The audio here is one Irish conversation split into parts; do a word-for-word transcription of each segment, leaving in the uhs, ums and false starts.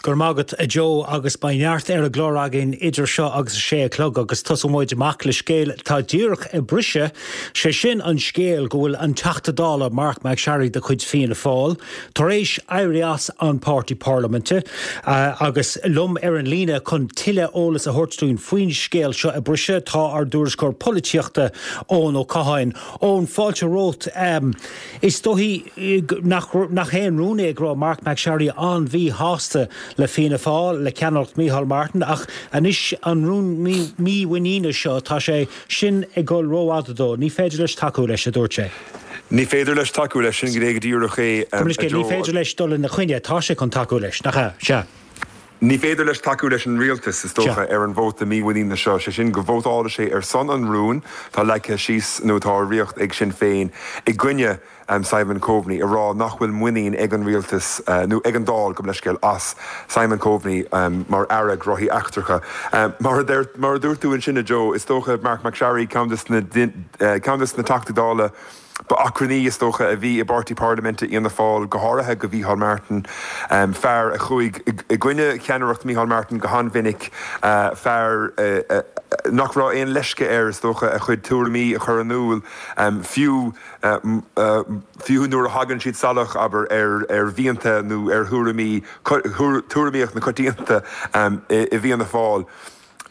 Go raibh maith agat a Joe agus beidh neart ar an gclár againn idir seo agus a sé a chlog agus tosóidh muid amach le scéal atá díreach ag briseadh sé sin an scéal go bhfuil an Teachta Dála Marc MacSharry de chuid Fianna Fáil tar éis éirí as an páirtí parlaiminte uh, agus liom ar an líne chun tuilleadh eolas a thabhairt dúinn faoin scéal seo a briseadh tá ár dtuairisceoir polaitíochta Eoin Ó Catháin Eoin fáilte romhat um, is dóigh nach nach haon rún é go raibh Marc MacSharry an-mhíshásta le Fianna Fáil le ceannaireacht Micheál Martin ach anois an rún mímhuiníne seo tá sé sin ag dul rófhada dó, ní féidir leis tacú leis a dúirt sé. Ní féidir leis tacú leis sin go díreach é ní féidir leis dul ina choinne tá sé chun tacú leis nach ea sea. Ní féidir leis tacú leis an rialtas is dócha ar an vóta mímhuiníne seo sé sin go vótála sé ar son an rún tá leagtha síos nó tá riocht ag Sinn Féin i gcoinne um, Simon Coveney a rá nach bhfuil muinín ag an rialtas uh, nó ag an Dáil gabh mo leithscéal as Simon Coveney um, mar aire gnóthaí eachtracha. Um, mar mar a dúirt tú ansin a Joe is dócha Marc MacSharry ceann uh, na Teachtaí Dála ba achrannaí is dócha a bhí i bpáirtí parlaiminte Fhianna Fáil go háirithe go Micheál Martin um, fear a chuaigh i gcoinne cheannaireacht Micheál Martin go han-mhinic uh, fear uh, uh, nach raibh aon leisce air is dócha a chuid tuairimí a chur in iúl um, fiú uh, uh, fiú nuair a thagann siad salach abair ar ar mhianta nó ar thuairimí tuairimíocht na coitianta um, i, i bhFianna Fáil.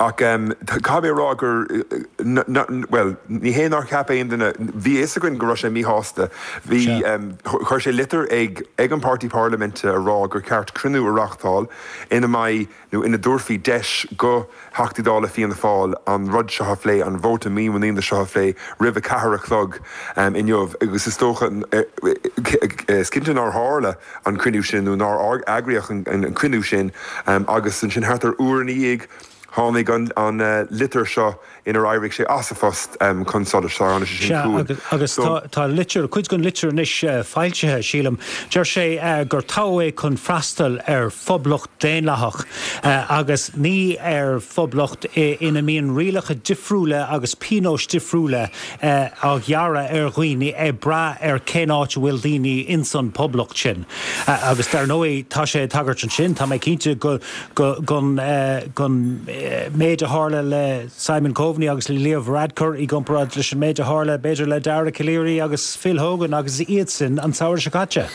Ach um, caithfidh mé rá gur well ní hé nár cheap aon duine bhí a fhios againn go raibh sé míshásta bhí um, chuir sé litir ag ag an páirtí parlaiminte a rá gur ceart cruinniú a reáchtáil ina mbeidh nó ina dtabharfaí deis go Theachtaí Dála Fianna Fáil an rud seo a phlé an vóta mímhuiníne seo a phlé roimh a ceathair a chlog um, inniu agus is dócha is cinnte nár tharla an cruinniú sin nó nár eagraíodh an, an, an cruinniú sin um, agus ansin thart ar uair ina dhiaidh tháinig an, an uh, litir seo inar éirigh sé as a phost um, chun solais sin agus so, tá litir cuid den litir anois uh, foilsithe sílim deir sé uh, gur toghadh é chun freastal ar phoblacht daonlathach uh, agus ní ar phoblacht ina mbíonn rialacha difriúla agus pionóis difriúla uh, á ngearradh ar dhaoine ag brath ar cén áit bhfuil daoine insan poblacht sin. Uh, agus dar ndóigh tá sé ag tagairt ansin tá mé cinnte go go gon uh, gon méid a tharla le Simon Coveney agus le Leo Varadkar i gcomparáid leis an méid a tharla b'fhéidir le Dara Calleary agus Phil Hogan agus iad sin an samhradh seo caite.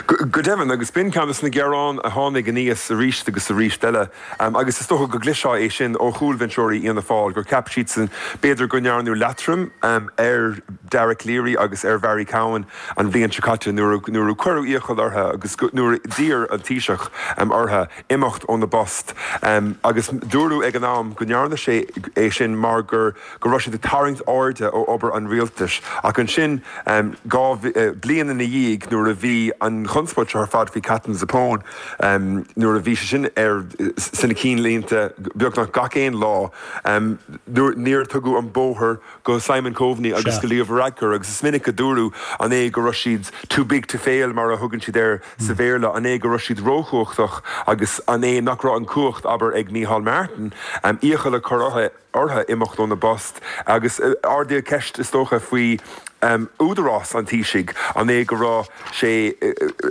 Go deimhin agus b'in ceann de na gearáin a tháinig aníos arís agus arís eile um, agus is dócha go gcloisfeá é sin ó chúlbhinseoirí Fhianna Fáil gur cheap siad sin b'fhéidir go ndearnadh leatrom um, ar Dara Calleary agus ar Mhary Cowan an bhliain seo caite nuair nuair cuireadh iachall orthu agus nuair d'iarr an Taoiseach um, orthu imeacht óna bpost um, agus dúradh ag an am go ndearna sé é sin mar gur go raibh siad ag tarraingt airde ó obair an rialtais ach ansin um, dhá uh, bliain ina dhiaidh nuair a bhí an chonspóid seo ar fad faoi Katherine Zappone um, nuair a bhí sé sin ar sna ceannlínte beagnach gach aon lá um, níor tugadh an bóthar go Simon Coveney agus go Leo Varadkar agus is minic a dúradh an é go raibh siad too big to fail mar a thugann siad air sa Bhéarla an é go raibh siad róchumhachtach agus an é nach raibh an cumhacht abair ag Micheál Martin um, iachall a chur orthu imeacht óna bpost agus uh, ardaíodh ceist is dócha faoi um, údarás an Taoisigh an é go raibh sé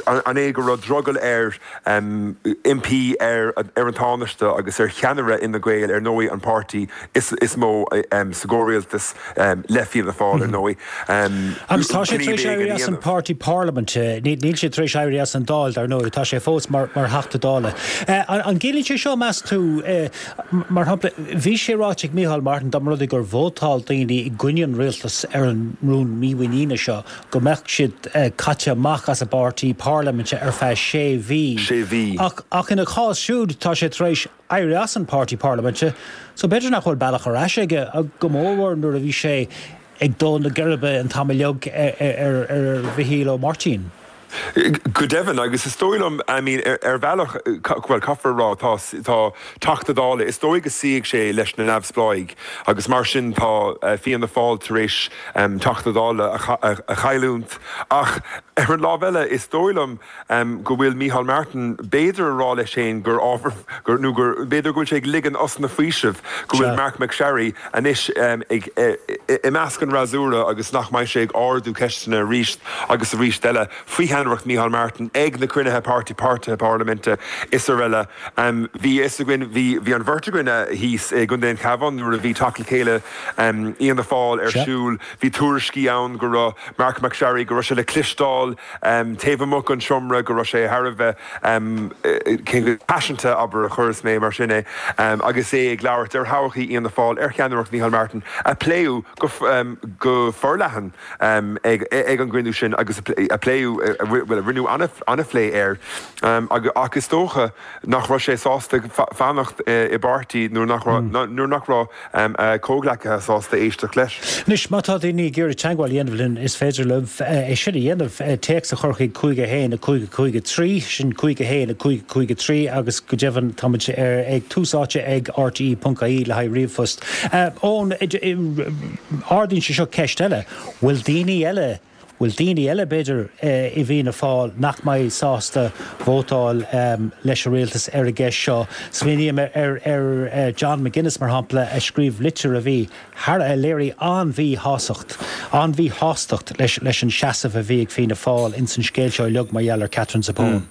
an é go raibh drogall air um, impí ar ar an Tánaiste agus ar cheannaire Fhine Gael ar ndóigh an páirtí is, is mó um, sa gcomhrialtas um, le Fianna Fáil ar ndóigh. Um, agus tá sé tar éis éirí as an páirtí parlaiminte níl sé tar éis éirí as an Dáil dar ndóigh tá sé fós mar mar Theachta Dála. Uh, an, an gciallaíonn sé seo meas tú uh, mar shampla bhí sé ráite ag Micheál Martin dá mba rud é gur vótáil daoine i gcoinne an rialtas ar an rún mímhuiníne seo go mbeadh siad uh, caite amach as a bpáirtí parlaiminte ar feadh sé mhí. Sé mhí. Ach, ach ina chás siúd tá sé tar éis éirí as an páirtí parlaiminte, so b'fhéidir nach bhfuil bealach ar ais aige go mór nuair a bhí sé ag dó na geirbe an t-am uilig ar ar Mhicheál Ó Máirtín. Go deimhin agus is dóigh liom I mean, ar, ar bhealach well caithfear rá tá tá Teachta Dála is dóigh go suífidh sé leis na neamhspleáigh agus mar sin tá uh, Fianna Fáil tar éis um, Teachta Dála a, a, a chailliúint ach ar an lámh eile is dóigh liom um, go bhfuil Micheál Martin b'fhéidir a rá leis féin gur ábhar gur nó gur b'fhéidir go bhfuil sé ag ligean osna faoisimh go bhfuil Marc MacSharry anois um, ag e, i measc an fhreasúra agus nach mbeidh sé ag ardú ceisteanna arís agus arís eile faoi cheannaireacht Micheál Martin ag na cruinnithe páirtí páirtithe parlaiminte is araile. Um, bhí fhios againn bhí bhí an bheirt againn thíos i gContae an Chabháin nuair a bhí teacht le chéile um, Fhianna Fáil ar siúl, bhí tuairiscí ann go raibh Marc MacSharry go raibh sé le cloisteáil um, taobh amuigh den seomra go raibh sé thar a bheith um, paiseanta abair a chuirfeas mé mar sin é um, agus é ag labhairt ar thodhchaí Fhianna Fáil ar cheannaireacht Micheál Martin a pléadh go, um, go forleathan um, ag, ag an gcruinniú sin agus a pléadh well, rinneadh an-phlé air um, ach is dócha nach raibh sé sásta fanacht i bpáirtí nuair nach nuair nach raibh um, comhghleacaithe sásta éisteacht leis. Anois má tá daoine ag iarraidh teagmháil a dhéanamh linn is féidir libh é sin a dhéanamh téacs a chur chuig cúig a haon a cúig a cúig a trí sin cúig a haon a cúig a cúig a trí agus go deimhin táimid ag Tús Áite ag RTE ponc ie le haghaidh ríomhphost. Eoin ardaíonn sé seo ceist eile, bhfuil daoine eile bhfuil daoine eile b'fhéidir i bhFianna Fáil nach mbeidh sásta vótáil leis an rialtas ar an gceist seo. Smaoiním ar ar John McGuinness mar shampla a scríobh litir a bhí thar a léirigh an-mhíshásacht, an-mhíshástacht leis leis an seasamh a bhí ag Fianna Fáil ins an scéal seo uilig mar gheall ar Katherine Zappone.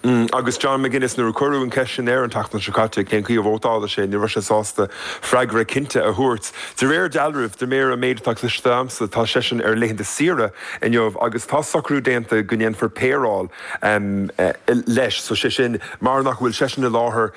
Mm, agus John McGuinness nuair a cuireadh an cheist sin air an tseachtain seo caite cén chaoi a vótálfadh sé ní raibh sé sásta freagra cinnte a thabhairt. De réir dealraimh de réir an méid atá cloiste agamsa tá seisean ar laethanta saoire inniu agus tá socrú déanta go ndéanfar péireáil um, uh, leis so sé sin mar nach bhfuil seisean i láthair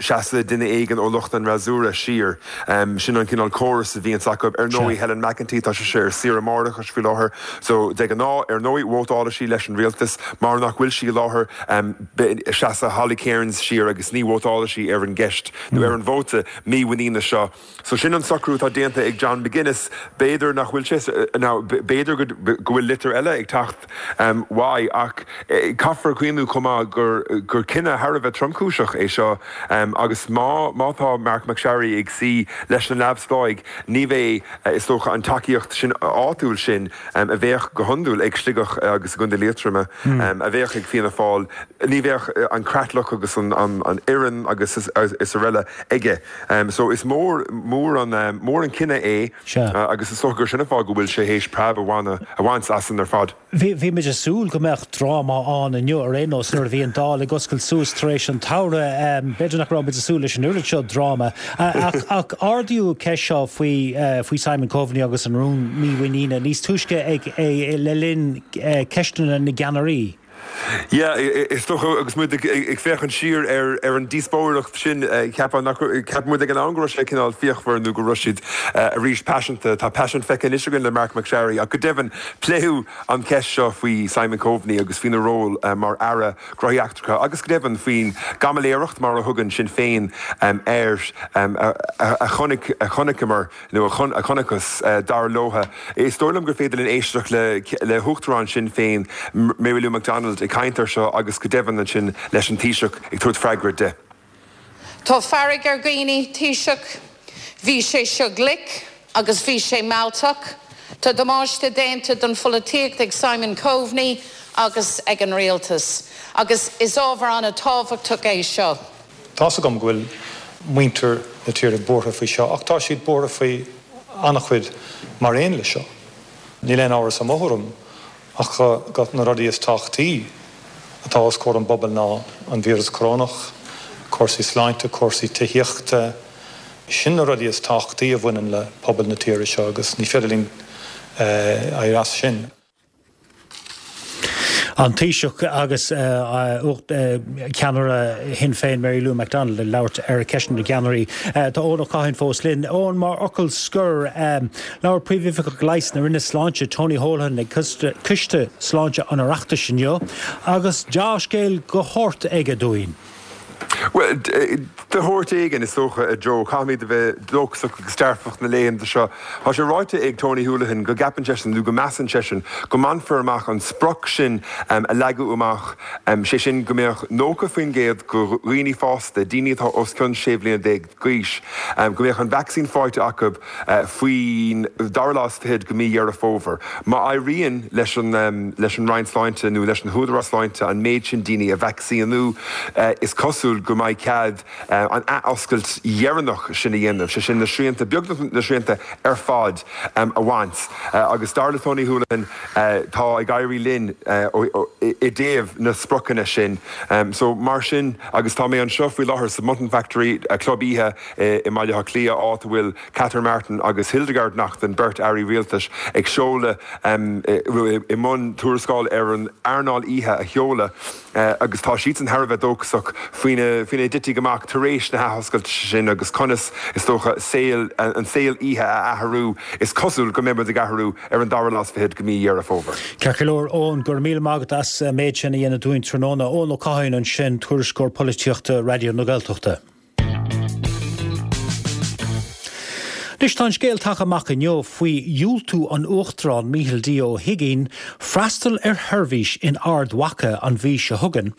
seasfaidh duine éigin ó lucht an fhreasúra siar. Um, sin an cineál córas a bhíonn acu ar ndóigh Helen McEntee tá sé ar saoire máithreachais faoi láthair, so de ghnáth ar ndóigh vótálfaidh sí leis an rialtas mar nach bhfuil sí i láthair um, seasfaidh Holly Cairns siar agus ní vótálfaidh sí ar an gceist nó ar an vóta mímhuiníne seo. So sin an socrú atá déanta ag John McGuinness, b'fhéidir nach bhfuil sé b'fhéidir go bhfuil litir eile ag teacht um, uaidh ach eh, caithfear cuimhneamh chomh maith gur gur cinneadh thar a bheith tromchúiseach é seo um, agus má má tá Marc MacSharry ag suí leis na neamhspleáigh ní bheidh eh, is dócha an tacaíocht sin áitiúil sin um, a bheadh go hiondúil ag Sligeach agus i gContae Liatroma mm. um, a bheadh ag Fianna Fáil ní bheadh eh, an creatlach agus an, an, an fhoireann agus is, is araile aige. Um, so is mór mór an um, mór an cinneadh é uh, agus is dócha gur sin an fáth go bhfuil sé théis preab a a bhaint as ar fad. Bhí bhí muid ag súil go mbeadh dráma ann inniu ar aon nós nuair a bhí an Dáil ag oscailt suas tar éis an tsamhraidh b'fhéidir nach raibh muid ag súil leis an oiread seo dráma. ach ach ardaíodh ceist seo faoi faoi Simon Coveney agus an rún mímhuiníne níos túisce ag le linn ceisteanna na gceannairí. Yeah, is dócha agus muid ag féachaint siar ar ar an díospóireacht sin ceapann ceap muid ag an am go raibh sé cineál fíochmhar nó go raibh siad arís paiseanta tá paisean feicthe anois againn le Marc MacSharry ach go deimhin pléadh an cheist seo faoi Simon Coveney agus faoina ról mar aire gnóthaí eachtracha agus go deimhin faoin gcaimiléireacht mar a thugann Sinn Féin air a chonaic a chonaiceamar nó a chonacthas dar leo. Is dóigh liom gur féidir linn éisteacht le le huachtarán Sinn Féin Mary Lou McDonald ag caint air seo agus go deimhin ansin leis an Taoiseach ag tabhairt freagra di. Tá fearg ar dhaoine Taoiseach, bhí sé seo glic agus bhí sé mealltach, Tá damáiste déanta don pholaitíocht ag Simon Coveney agus ag an rialtas, agus is ábhar an-tábhachtach é seo. Tá a fhios agam go bhfuil muintir na tíre buartha faoi seo, ach tá siad buartha faoi an-chuid mar aon le seo. Níl aon amhras i mo thuairim ach go na rudaí is tábhachtaí atá os comhair an bpobal ná an víreas corónach, cúrsaí sláinte, cúrsaí tithíochta, sin na rudaí is tábhachtaí a bhaineann le pobal na tíre seo agus ní féidir linn éirí as sin. An Taoiseach agus ceannaire Shinn Féin Mary Lou McDonald ag labhairt ar Ceisteanna na gCeannairí. Tá Eoin Ó Catháin fós linn. Eoin mar fhocal scoir labhair Príomhoifigeach Leighis na Roinne Sláinte Tony Holohan ag Coiste Sláinte an Oireachtais inniu agus dea-scéal de shórt aige dúinn. Well, de shórt éigin is dócha a Joe caithfimid a bheith dóchasach agus dearfach na laethanta seo. Tá sé ráite ag Tony Holohan go gceapann seisean nó go measann seisean go mbainfear amach an sprioc sin um, a leagadh amach um, sé sin go mbeadh nócha faoin gcéad de dhaoine fásta, daoine atá os cionn sé bliana déag d'aois, um, go mbeadh an vacsaín faighte acu uh, faoin dara lá is fiche de mhí Dheireadh Fómhair. Má éiríonn leis an, um, leis an Roinn Sláinte nó leis an Údarás Sláinte an méid sin daoine a vacsaíniú uh, is cosúil go mbeidh cead an athoscailt dheireanach sin a dhéanamh, sé sin na srianta, beagnach na srianta ar fad a bhaint. Agus dar le Tony Holohan, tá ag éirí linn i dtaobh na spriocanna sin. So mar sin, agus tá mé anseo faoi láthair sa Mutton Factory, club oíche i mBaile Átha Cliath, áit a bhfuil Catherine Martin agus Hildegarde Naughton, beirt airí rialtais, ag seoladh, i mbun tuarascáil ar an earnáil oíche a sheoladh agus tá siadsan thar a bheith dóchasach faoina faoina dtitfidh amach tar éis na hathoscailte sin agus conas is dócha saol an saol oíche a athrú. Is cosúil go mbeidh muid ag athrú ar an dara lá is fichead de mhí Dheireadh Fómhair. Ceart go leor, Eoin, go raibh míle maith agat as an méid sin a dhéanamh dúinn tráthnóna. Eoin Ó Catháin ansin, tuairisceoir polaitíochta Raidió na Gaeltachta. Anois tá an scéal tagtha amach inniu faoi dhiúltú an Uachtaráin Micheál D Ó hUigínn freastal ar sheirbhís in Ard Mhacha an mhí seo chugainn,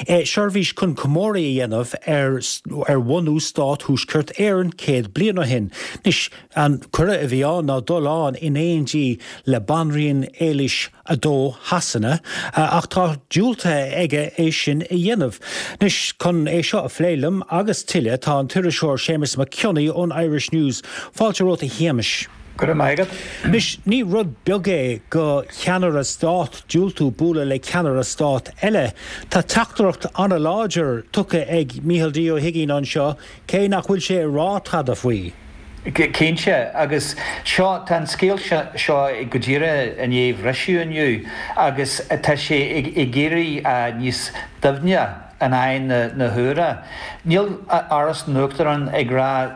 seirbhís chun comóradh a dhéanamh ar ar bhunú Stát Thuaisceart Éireann céad bliain ó shin. Anois an cuireadh a bhí ann ná dul ann in éindí le Banríon Éilis a dó Shasana, ach tá diúltaithe aige é sin a dhéanamh. Anois, chun é seo a phlé liom agus tuilleadh, tá an t-iriseoir Séamus Mac Cionnaith ón Irish News. Fáilte romhat a Shéamais. Go raibh maith agat. Anois, ní rud beag é go cheannaire stát diúltú bualadh le ceannaire stát eile. Tá teachtaireacht an-láidir tugtha ag Micheál D Ó hUigínn anseo, cé nach bhfuil sé ag rá tada faoi. Cinnte, agus seo, tá an scéal seo go díreach i ndiaidh bhriseadh inniu agus tá sé ag éirí níos doimhne in aghaidh na huaire. Níl Áras an Uachtaráin ag rá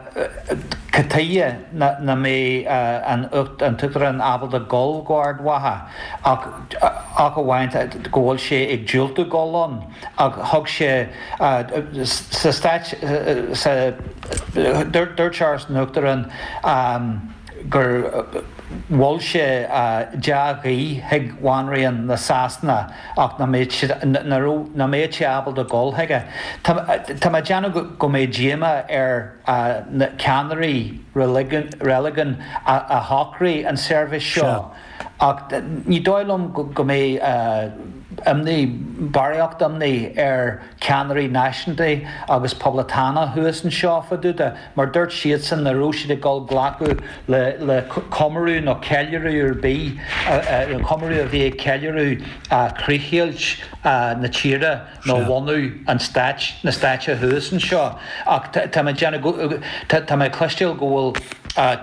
cad chuige nach mbeidh an tUachtarán ábalta dul go Ard Mhacha ach ach amháin go bhfuil sé ag diúltú dul ann ach thug sé sa stáit sa Dúirt Áras an Uachtaráin gur mhol sé dea-ghuí chuig Bhanríon na Sasana ach nach mbeadh sé ábalta dul chuige. Tá mé ag déanamh go mbeidh díomá ar na ceannairí reiligiúin a shocraigh an seirbhís seo ach ní dóigh liom go mbeidh imní, barraíocht imní ar cheannairí náisiúnta agus poblachtánach thuas anseo fá dtaobh de, mar dúirt siadsan nach raibh siad ag dul glacadh le le comóradh nó ceiliúradh ar bith, comóradh a bhí ag ceiliúradh críochdheighilt na tíre nó bhunú an stáit, na stáite thuas anseo. Ach tá mé ag déanamh, tá mé ag cloisteáil go bhfuil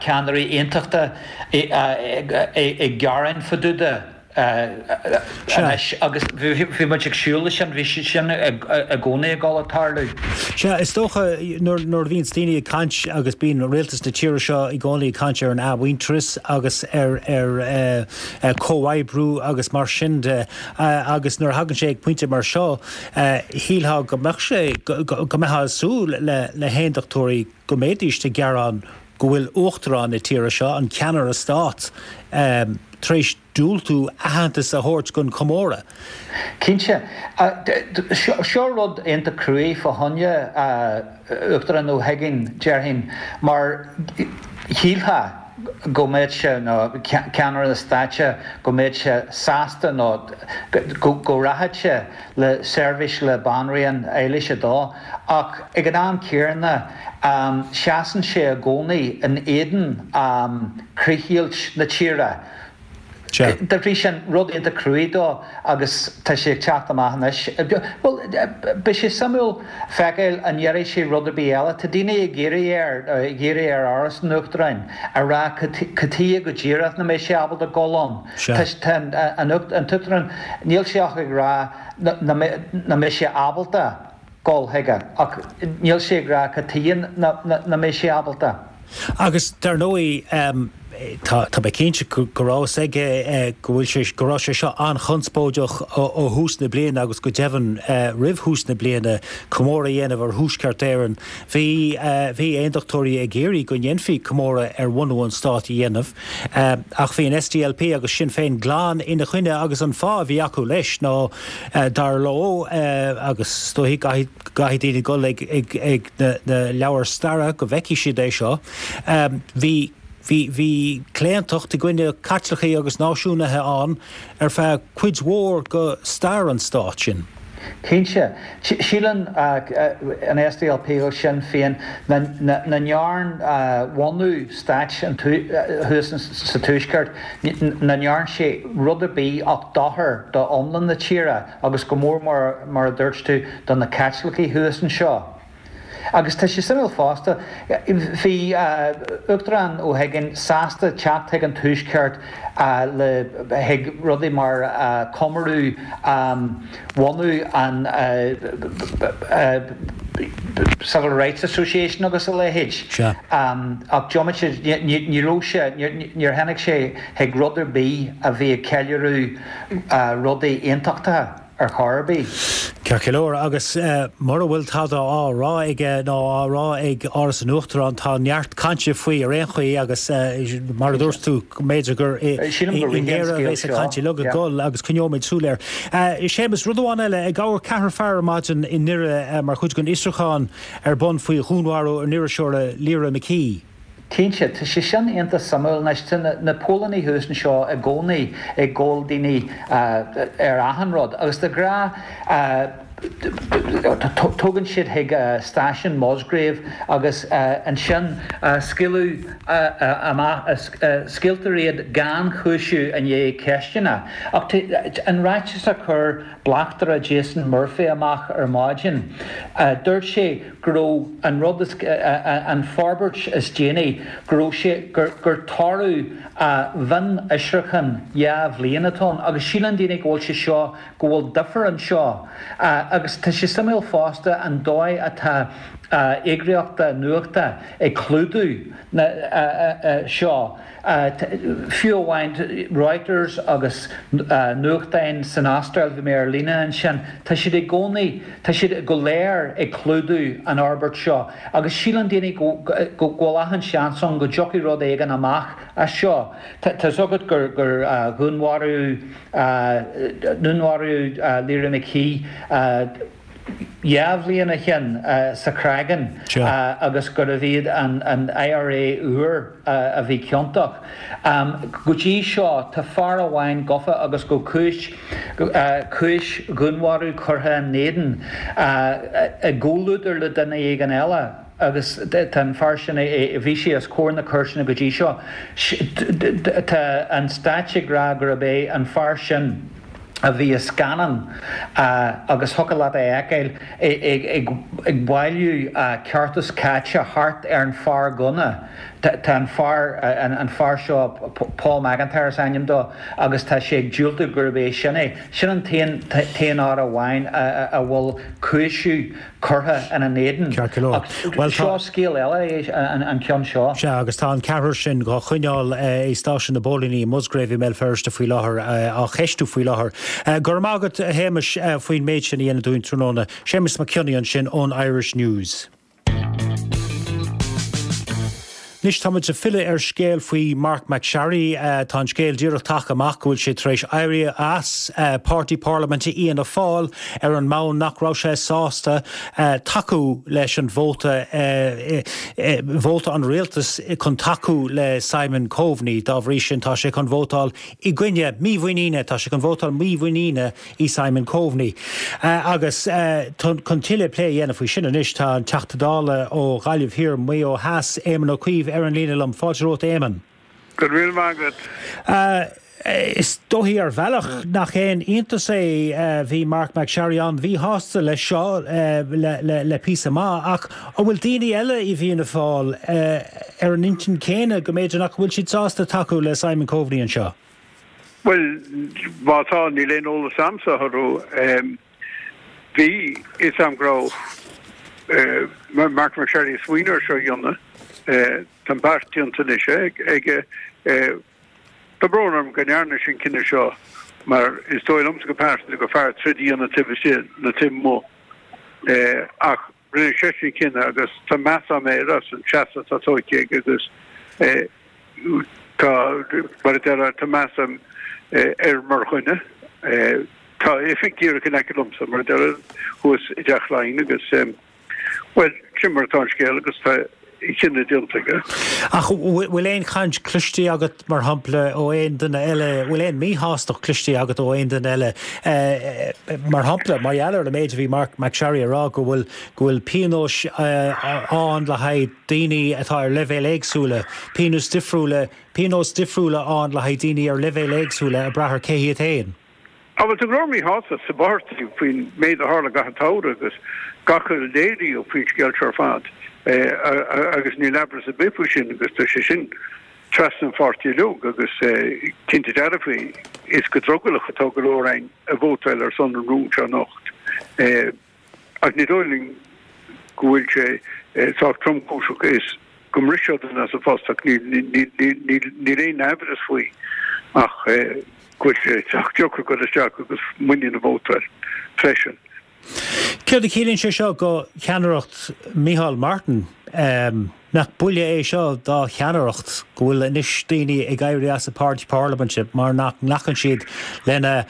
ceannairí aontachta ag gearán fá dtaobh de. Anois, agus bhí muid ag súil leis sin, bhí sé sin i gcónaí ag dul a tarlú. Sea, is dócha nuair a bhíonns daoine ag caint agus bíonn rialtas na tíre seo i gcónaí ag caint ar an athmhuintearas agus ar ar chomhoibriú agus mar sin de agus nuair a thagann sé ag pointe mar seo shílfeá go mbeadh sé, go mbeifeá ag súil le haondachtóirí go mbeidís ag gearán go bhfuil Uachtarán na tíre seo, an ceannaire stáit, tar éis diúltú aitheantas a thabhairt don chomóradh. Cinnte. Seo rud iontach cruaidh fá choinne Uachtarán Ó hUigínn, déarfainn, mar shílfeá go mbeadh sé, nó ceannaire na stáite, go mbeadh sé sásta nó go rachadh sé le seirbhís le Banríon Éilis a Dó, ach ag an am céanna seasann sé i gcónaí in éadan críochdheighilt na tíre. Dá bhrí sin, rud iontach cruaidh dó agus tá sé ag teacht amach anois. Bhuel, beidh sé suimiúil feiceáil an ndéarfaidh sé rud ar bith eile. Tá daoine ag iarraidh air, ag iarraidh ar Áras an Uachtaráin a rá cad chuige go díreach nach mbeidh sé ábalta dul ann. Tá an tUachtarán, níl sé ach ag rá nach mbeidh sé ábalta dul chuige ach níl sé ag rá cad chuige nach mbeidh sé ábalta. Agus dar ndóigh, tá mé cinnte go raibh fhios aige go bhfuil sé, go raibh sé seo an-chonspóideach ó thús na bliana agus go deimhin roimh thús na bliana, comóradh a dhéanamh ar Thuaisceart Éireann. Bhí, bhí aondachtóirí ag iarraidh go ndéanfaí comóradh ar bhunú an stáit a dhéanamh ach bhí an SDLP agus Sinn Féin glan ina choinne agus an fáth a bhí acu leis ná dar leo, agus is dóigh caithfidh daoine dul ag ag na leabhair staire go bhfeicfidh siad é seo. Bhí bhí bhí claontacht i gcoinne Caitlicigh agus náisiúnaithe ann ar feadh cuid mhór de stair an stáit sin. Cinnte. Síleann an SDLP agus Sinn Féin nach ndearn bhunú stáit thuas sa Tuaisceart, nach ndearn sé rud ar bith ach dochar do iomlán na tíre agus go mór mór, mar a dúirt tú, do na Caitlicigh thuas anseo. Agus tá sé suimiúil fosta, bhí Uachtarán Ó hUiginn sásta teacht chuig an Tuaisceart le chuig rudaí mar comóradh bhunú an Civil Rights Association agus a leithéid. Ach diomaite, ní raibh sé, níor tháinig sé chuig rud ar bith a bhí ag ceiliúradh rudaí aontachtacha. ar chor ar bith. Ceart go leor, agus mura bhfuil tada á rá aige ná á rá ag Áras an Uachtaráin, tá neart cainte faoi ar aon chaoi agus mar a dúirt tú, b'fhéidir gur i nGéire a bheas an chaint uilig ag dul agus coinneoimid súil air. Séamus, rud amháin eile, gabhadh ceathrar fear ar maidin i nDoire mar chuid den fhiosrúchán ar bun faoi dhúnmharú an iriseora Lyra McKee. Cinnte, tá sé sin iontach suimiúil. Anois, tá na póilíní thuas anseo i gcónaí ag gabháil daoine ar achan rud agus de ghnáth tógann siad chuig stáisiún Musgrave agus ansin scaoileadh amach, scaoiltear iad gan chúiseamh i ndiaidh ceisteanna. Ach an ráiteas a chuir Bleachtaire Jason Murphy amach ar maidin, dúirt sé go raibh an rud is, an forbairt is déanaí, go raibh sé, gur, gur toradh mhionfhiosrúchán dhá bhliain atá ann agus síleann daoine go bhfuil sé seo, go bhfuil difear anseo. Agus tá sé suimiúil fosta an dóigh atá eagraíochtaí nuachta ag clúdú na seo. Fiú amháin Reuters agus nuachtáin san Astráil, bhí mé ar líne ansin, tá siad i gcónaí, tá siad go léir ag clúdú an fhorbairt seo agus síleann daoine go bhfuil achan seans ann go dtiocfaidh rud éigin amach as seo. Tá fhios agat gur dhúnmharaíodh, dúnmharaíodh Lyra McKee, dhá bhliain ó shin sa Chreagán agus gurbh iad an IRA úr a bhí ciontach. Go dtí seo tá fear amháin gafa agus go cúis cúis dhúnmharú curtha ina éadan i gcomhluadar le duine éigin eile agus tá an fear sin bhí sé os comhair na cúirteanna go dtí seo. Tá an stáit ag rá gurb é an fear sin a bhí i scannán agus thiocfadh leat é a fheiceáil ag bailiú ceartas caite thart ar an fear gunna. Tá an fear, an fear seo, Paul McIntyre is ainm dó, agus tá sé ag diúltú gurb é sin é. Sin an t-aon fhear amháin a bhfuil cúiseamh curtha ina n-éadan. Ceart go leor. Ach seo scéal eile é an ceann seo. Sea, agus tá an ceathrar sin dhá choinneáil i stáisiún na bpóilíní i Musgrave i mBéal Feirste faoi láthair, á cheistiú faoi láthair. Go raibh maith agat, a Shéamais, faoin méid sin a dhéanamh dúinn tráthnóna. Séamus Mac Cionnaith ansin ón Irish News. Anois táimid ag filleadh ar scéal faoi Marc MacSharry. Tá an scéal díreach tagtha amach go bhfuil sé tar éis éirí as páirtí parlaiminte Fhianna Fáil ar an mbonn nach raibh sé sásta tacú leis an vóta, vóta an rialtais chun tacú le Simon Coveney. Dá bhrí sin tá sé chun vótáil i gcoinne mímhuiníne, tá sé chun vótáil mímhuiníne i Simon Coveney. Agus chun tuilleadh plé a dhéanamh faoi sin anois tá an Teachta Dála ó Ghaillimh Thiar, Maigh Eo Theas, Éamon Ó Cuív ar an líne liom. Fáilte romhat Éamon. Go raibh míle maith agat. Is dóichí ar bhealach nach aon iontas é, bhí Marc MacSharry an-mhíshásta leis seo le píosa maith, ach an bhfuil daoine eile i bhFianna Fáil ar an intinn chéanna go mb'fhéidir nach bhfuil siad sásta tacú le Simon Coveney anseo? Bhuel, má tá, níl aon eolas a'msa orthu. Bhí fhios a'm go raibh Marc MacSharry ag smaoineamh ar seo a dhéanamh. Tá an beart déanta anois aige. Tá brón orm go ndearna sé an cinneadh seo mar is dóigh liomsa go pearsanta gur fearr troid a dhéanamh taobh istigh ná taobh amuigh. Ach rinne seisean an cinneadh agus tá meas a'm air as an seasamh atá tógtha aige agus tá, mar a déarfá, tá meas a'm air mar dhuine. Tá a oifig díreach in aice liomsa, mar a déarfá, thuas i dTeach Laighean agus, bhuel, sin mar atá an scéal agus tá chinneadh déanta aige. Ach bhfuil aon chaint cloiste agat, mar shampla, ó aon duine eile, bhfuil aon míshástacht cloiste agat ó aon duine eile, mar shampla, mar gheall ar an méid a bhí Marc MacSharry a rá, go bhfuil, go bhfuil pionóis ann le haghaidh daoine atá ar leibhéil éagsúla, pionóis difriúla, pionóis difriúla ann le haghaidh daoine ar leibhéil éagsúla ag brath ar cé hiad féin? Á bhuel, tá go leor míshástacht sa bpáirtí faoin méid a tharla i gcaitheamh an tsamhraidh agus gach a léiríodh faoin scéal seo ar fad agus níl amhras ar bith faoi sin agus tá sé sin trasna an pháirtí uilig agus cinnte dearfa is go drogallach atá go leor againn ag vótáil ar son an rúin seo anocht. Ach ní dóigh linn go bhfuil sé sách tromchúiseach is go mbrisfeadh duine as a phost ach níl aon amhras faoi ach go bhfuil sé sách deacair dul isteach agus muinín a vótáil freisin. Céard a chiallaíonn sé seo do cheannaireacht Micheál Martin? Nach buille é seo dá cheannaireacht go bhfuil anois daoine ag éirí as an bpáirtí parlaiminte mar nach nglacann siad lena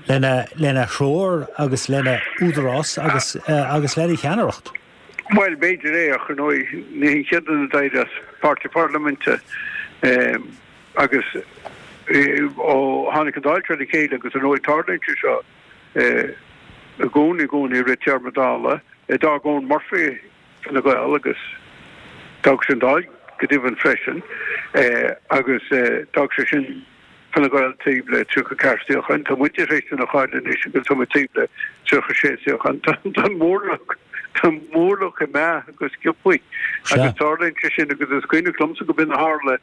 lena lena threoir agus lena údarás agus agus lena cheannaireacht? Bhuel, b'fhéidir é ach ar ndóigh ní hé an chéad duine a d'éirigh as páirtí parlaiminte agus ó tháinig an Dáil seo le chéile agus ar ndóigh tarlaíonn sé seo i gcónaí i gcónaí i rith téarma Dála. D'fhág Eoghan Murphy Fine Gael agus d'fhág sé an Dáil go deimhin freisin agus d'fhág sé sin Fine Gael taobh le tríocha ceathair suíochán. Tá muide tar éis duine a chailleadh anois agus tá muid taobh le tríocha sé suíochán. Tá an mórlach tá an mórlach ag meath go sciobthaí agus tarlaíonn sé sin agus is cuimhneach liomsa go b'in a tharla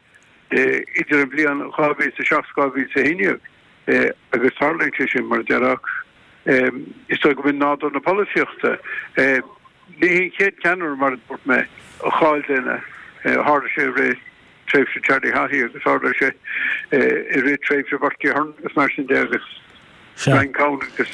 idir an bhliain dhá mhíle is a seacht dhá mhíle is a haon déag agus tarlaíonn sé sin mar a déarfá. Is dóigh go b'in nádúr na polaitíochta. Ní hé an chéad cheannaire, mar a dúirt mé, a chaill duine. Tharla sé i rith tréimhse Charlie Haughey agus tharla sé i rith tréimhse Bertie Ahern agus mar sin de agus Brian Cowen agus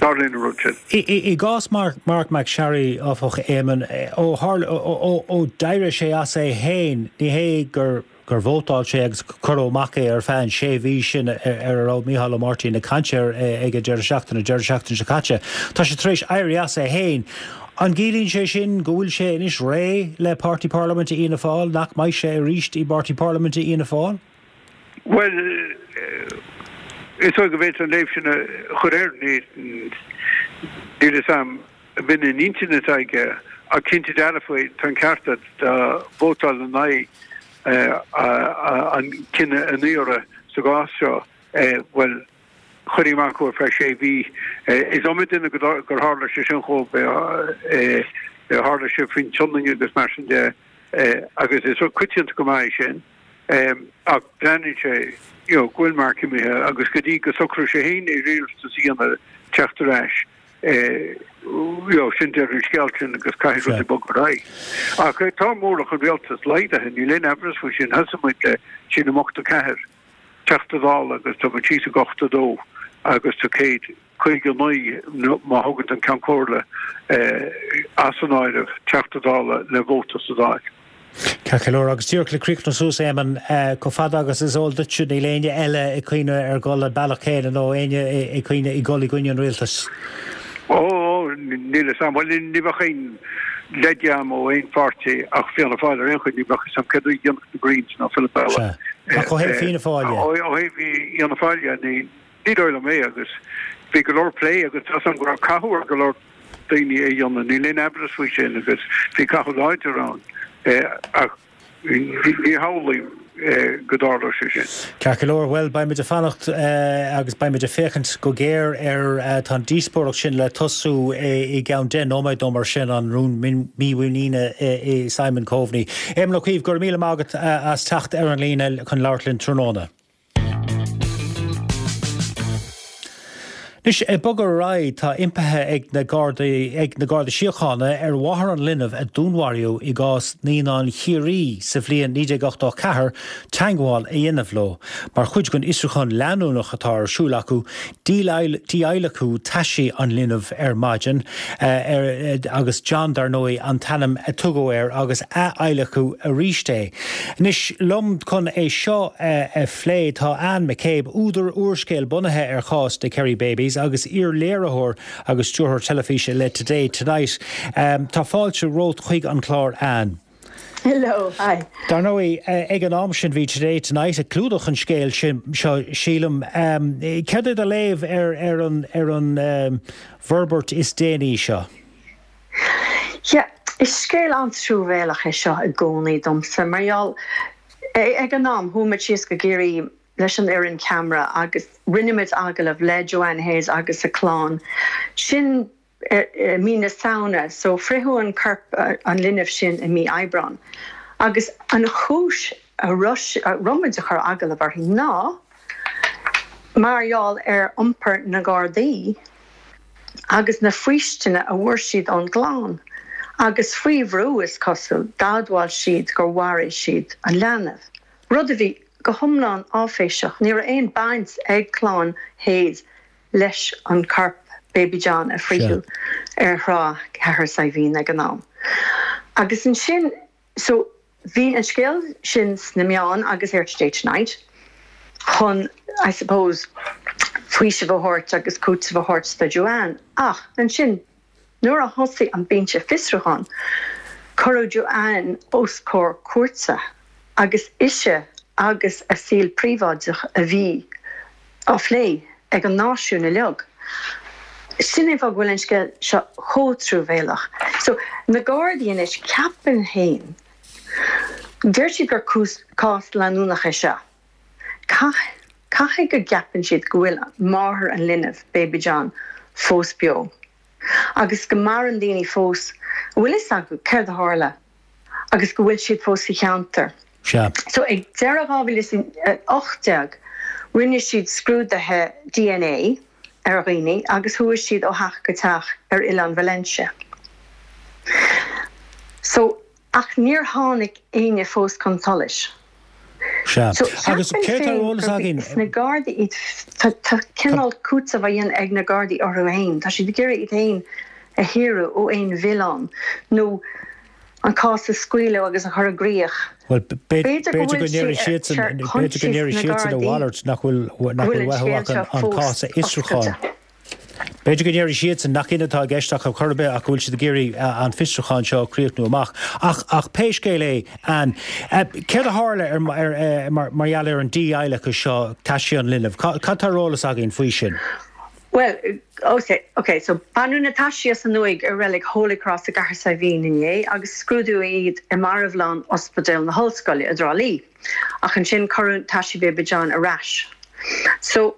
tarlaíonn an rud sin. I gcás Marc MacSharry, áfach, Éamonn, ó tharla, ó d'éirigh sé as é féin, ní hé gur gur vótáil sé agus cuireadh amach é ar feadh an sé mhí sin ar a raibh Mícheál Ó Máirtín ag caint air ag an deireadh seachtaine, deireadh seachtaine seo caite. Tá sé tar éis éirí as é féin. An gciallaíonn sé sin go bhfuil sé anois réidh le Páirtí Parlaiminte Fhianna Fáil, nach mbeidh sé arís i bPáirtí Parlaiminte Fhianna Fáil? Bhuel, is dóigh go bhféadfá an léamh sin a chur air. Níl fhios a'm an b'in an intinn atá aige ach cinnte dearfa tá an ceart agat dá vótáil in aghaidh an cinneadh anuraidh sa gcás seo, bhuel, chuirfí amach thú ar feadh sé mhí. Is iomaí duine gur tharla sé sin dhóibh, tharla sé faoin tSionainn agus mar sin de agus is rud coitianta go maith é sin ach breathnaíonn sé you know go bhfuil Mark imithe agus go dtí go socróidh sé féin iarratas a dhéanamh teacht ar ais, you know, sin deireadh an scéil sin agus caithfidh rudaí bogadh ar aghaidh. Ach tá mórlach an rialtais laghdaithe, níl aon amhras faoi sin. Thosaigh muid le sílim ochtó ceathair Teachta Dála agus tá muid síos ag ochtó dó agus tá céad caoga naoi, má thugann tú an Ceann Comhairle as an áireamh, Teachta Dála le vóta sa Dáil. Ceart go leor, agus díreach le críochnú suas, Éamonn, chomh fada agus is eol duitse, níl éinne eile ag cuimhneamh ar dhul an bealach céanna nó éinne ag cuimhneamh ag dul i gcoinne an rialtais? Ó, níl fhios a'm. Bhuel, ní bheadh aon leid a'm ó aon pháirtí ach Fianna Fáil ar aon chaoi, ní bheadh fhios a'm céard a dhéanfadh na Greens ná Philip Eile. Sea. Ach ó thaobh Fianna Fáil de? Ó thaobh Fhianna Fáil de, ní Ní dóigh liom é agus bhí go leor plé agus tá 'fhios a'm go raibh cathú ar go leor daoine é a dhéanamh, níl aon amhras faoi sin agus bhí cathú láidir ann ach ní shamhlaím go dtarlódh sé sin. Ceart go leor, bhuel beidh muid ag fanacht agus beidh muid ag féachaint go géar ar, tá an díospóireacht sin le tosú i gceann deich nóiméad nó mar sin, an rún mímhuiníne i Simon Coveney. Éamon Ó Cuív, go raibh míle maith agat as teacht ar an líne chun labhairt linn tráthnóna. Anois, ag bogadh ar aghaidh, tá impithe ag na Gardaí ag na Garda Síochána ar mháthair an linbh a dúnmharaíodh i gcás Naíonáin Chiarraí sa bhliain naoi déag ochtó a ceathair teagmháil a dhéanamh leo. Mar chuid den fhiosrúchán leanúnach atá ar siúl acu, díadhlacadh taisí an linbh ar maidin agus John, dar ndóigh, an t-ainm a tugadh air agus ath-adhlacadh arís é. Anois liom chun é seo a phlé tá Anne McCabe, údar úrscéil bunaithe ar chás na Kerry Babies agus iar-léiritheoir agus stiúrthóir teilifíse le Today Tonight. Tá fáilte romhat chuig an chlár, Anne. Hello, hi. Dar ndóigh, ag an am sin bhí Today Tonight ag clúdach an scéil sin seo sílim. Céard é do léamh ar ar an ar an bhforbairt is déanaí seo? Yeah, is scéal an-truamhéalach é seo i gcónaí domsa mar gheall ag an am chuaigh muid síos go Ciarraí leis an fhoireann ceamara agus rinne muid agallamh le Joanne Hayes agus a clann. Sin i mí na Samhna, so fritheadh an corp an linbh sin i mí Aibreán. Agus an chúis a raibh muid ag cur agallamh uirthi ná mar gheall ar iompar na Gardaí agus na faoistine a bhfuair siad ón gclann. Agus faoi bhrú, is cosúil, d'admháil siad gur mharaigh siad an leanbh. Rud a bhí go hiomlán áiféiseach, ní raibh aon baint ag clann Hayes leis an corp Baby John a frítheadh ar thrá Chathair Saidhbhín ag an am. Agus ansin, so bhí an scéal sin sna meáin agus ar Today Tonight chun, I suppose, faoiseamh a thabhairt agus cúiteamh a thabhairt do Joanne. Ach ansin, nuair a thosaigh an binse fiosrúcháin, cuireadh Joanne os comhair cúirte agus ise agus a saol príobháideach a bhí á phlé ag an náisiún uilig. Sin é an fáth go bhfuil an scéal seo chomh truamhéalach. So, na Gardaí anois, ceapaim féin, deir siad gur cás leanúnach é seo. Caithfidh go gceapann siad go bhfuil máthair an linbh, Baby John, fós beo. Agus go maireann daoine fós a bhfuil fhios acu céard a tharla agus go bhfuil siad fós sa cheantar. Sea. So ag deireadh dhá mhíle is a hocht déag rinne siad scrúduithe DNA ar dhaoine agus chuaigh siad ó theach go teach ar Oileán Valentia. So, ach níor tháinig éinne fós chun solais. Sea. So Agus ceapaim céard tá ar féin eolas gurb againn? is na Gardaí iad, tá tá cineál cúiteamh á dhéanamh ag na Gardaí orthu féin. Tá siad ag iarraidh iad féin a shaoradh ó aon mhilleán nó an cás a scaoileadh agus a chur i gcrích. Bhuel, B'fhéidir go b'fhéidir go bhfuil sé ndéarfaidh siadsan, ar b'fhéidir go choinsias ndéarfaidh na siadsan a Gardaí mhalairt nach bhfuil, go nach bhfuil bhfuil an uathu scéal ach an seo an fós cás a fhiosrúchán. oscailte. B'fhéidir go ndéarfaidh siadsan nach in atá i gceist ach ar chor ar bith ach go bhfuil siad ag iarraidh an fiosrúchán seo a chríochnú amach. Ach, ach pé scéal é, Ann, céard a tharla ar, ar, mar, mar gheall ar an dí-adhlacadh seo, taisí an linbh? Cad tá ar eolas againn faoi sin? Bhuel, ok, ok, so baineadh na taisí as an uaigh i reilig Holy Cross i gCathair Saidhbhín inné agus scrúdaíodh iad i marbhlann Ospidéal na hOllscoile i dTrá Lí. Ach ansin cuireadh taisí Baby John ar ais. So,